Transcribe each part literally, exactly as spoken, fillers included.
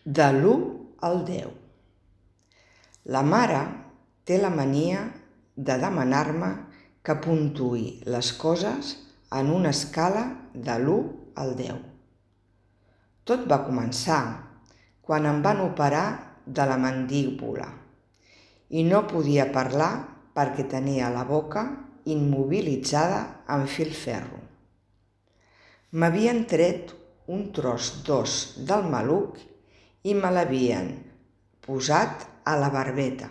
De l'u al deu. La mare té la mania de demanar-me que puntuï les coses en una escala de l'u al deu. Tot va començar quan em van operar de la mandíbula i no podia parlar perquè tenia la boca immobilitzada amb filferro. M'havien tret un tros d'os del maluc i me l'havien posat a la barbeta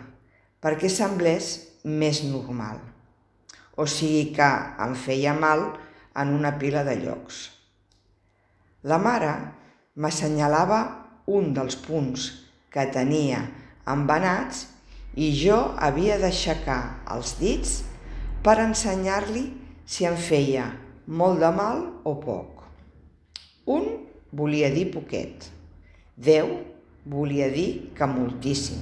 perquè semblés més normal, o sigui que em feia mal en una pila de llocs. La mare m'assenyalava un dels punts que tenia embenats i jo havia d'aixecar els dits per ensenyar-li si em feia molt de mal o poc. Un volia dir poquet, deu volia dir que moltíssim.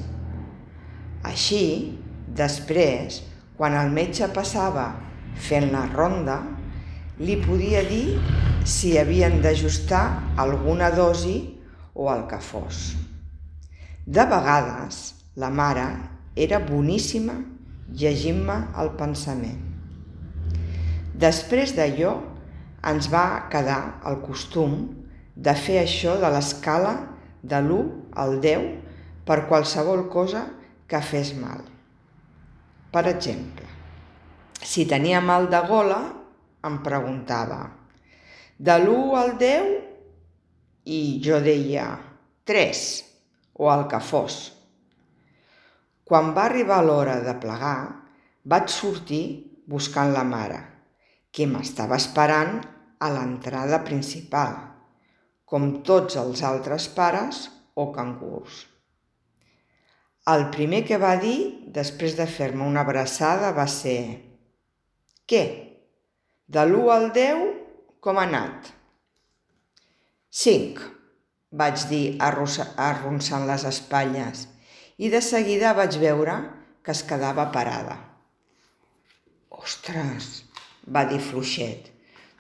Així, després, quan el metge passava fent la ronda, li podia dir si havien d'ajustar alguna dosi o el que fos. De vegades, la mare era boníssima llegint-me el pensament. Després d'allò, ens va quedar el costum de fer això de l'escala de l'u al deu per qualsevol cosa que fes mal. Per exemple, si tenia mal de gola, em preguntava de l'u al deu i jo deia tres o el que fos. Quan va arribar l'hora de plegar, vaig sortir buscant la mare, que m'estava esperant a l'entrada principal, com tots els altres pares o cangurs. El primer que va dir, després de fer-me una abraçada, va ser «Què? De l'u al deu, com ha anat?» «Cinc», vaig dir arronsant les espatlles, i de seguida vaig veure que es quedava parada. «Ostres», va dir fluixet,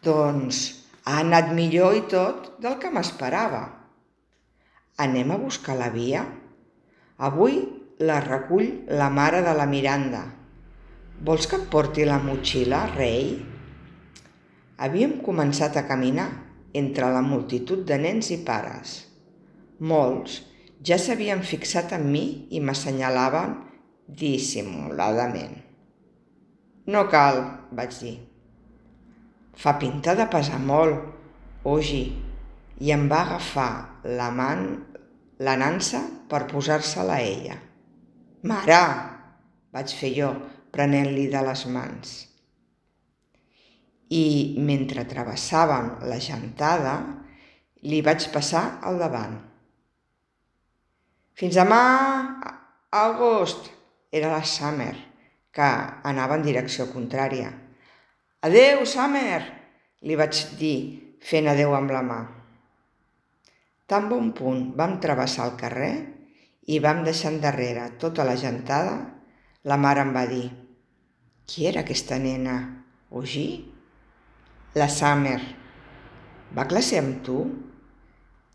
«doncs ha anat millor i tot del que m'esperava. Anem a buscar la Via? Avui la recull la mare de la Miranda. Vols que et porti la motxilla, rei?» Havíem començat a caminar entre la multitud de nens i pares. Molts ja s'havien fixat en mi i m'assenyalaven dissimuladament. «No cal», vaig dir. «Fa pinta de pesar molt, Ogi», i em va agafar la man, la nansa per posar-se-la a ella. «Mare», vaig fer jo, prenent-li de les mans. I mentre travessàvem la gentada, li vaig passar al davant. «Fins demà, August», era la Summer, que anava en direcció contrària. «Adeu, Summer», li vaig dir, fent adeu amb la mà. Tan bon punt vam travessar el carrer i vam deixar endarrere tota la gentada, la mare em va dir «Qui era aquesta nena, Ogi?» «La Summer». «Va a classe amb tu?»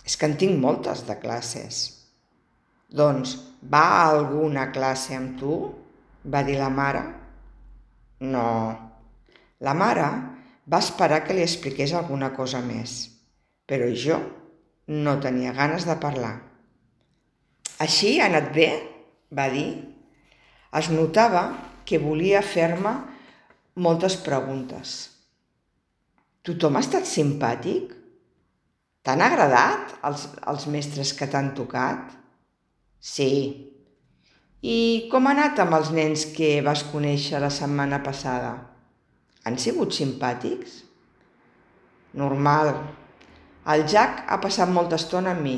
«És que en tinc moltes de classes». «Doncs va a alguna classe amb tu?» va dir la mare. «No». La mare va esperar que li expliqués alguna cosa més, però jo no tenia ganes de parlar. «Així ha anat bé?», va dir. Es notava que volia fer-me moltes preguntes. «Tothom ha estat simpàtic? T'han agradat els, els mestres que t'han tocat?» «Sí». «I com ha anat amb els nens que vas conèixer la setmana passada? Han sigut simpàtics?» «Normal. El Jack ha passat molta estona amb mi».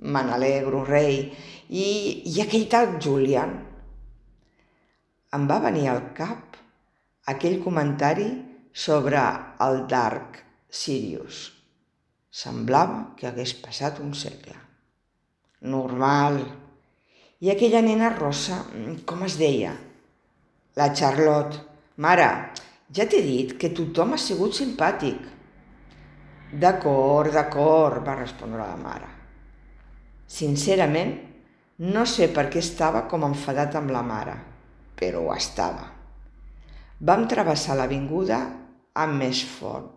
«Me n'alegro, rei. I, i aquell tal Julian?» Em va venir al cap aquell comentari sobre el Dark Sirius. Semblava que hagués passat un segle. «Normal. I aquella nena rossa, com es deia?» «La Charlotte. Mare, ja t'he dit que tothom ha sigut simpàtic». «D'acord, d'acord», va respondre la mare. Sincerament, no sé per què estava com enfadat amb la mare, però ho estava. Vam travessar l'avinguda amb més fort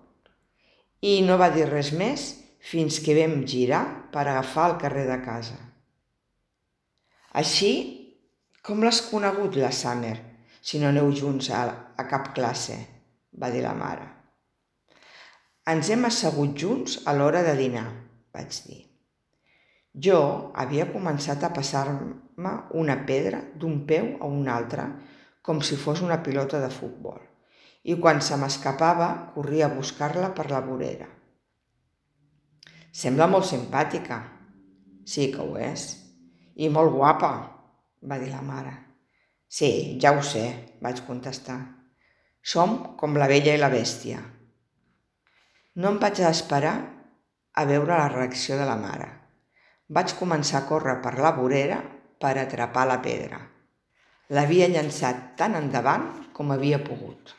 i no va dir res més fins que vam girar per agafar el carrer de casa. Així, com l'has conegut, la Summer, si no aneu junts a, a cap classe? Va dir la mare. Ens hem assegut junts a l'hora de dinar, vaig dir. Jo havia començat a passar-me una pedra d'un peu a un altre com si fos una pilota de futbol i quan se m'escapava corria a buscar-la per la vorera. Sembla molt simpàtica. Sí que ho és. I molt guapa, va dir la mare. Sí, ja ho sé, vaig contestar. Som com la Bella i la Bèstia. No em vaig esperar a veure la reacció de la mare. Vaig començar a córrer per la vorera per atrapar la pedra. L'havia llançat tan endavant com havia pogut.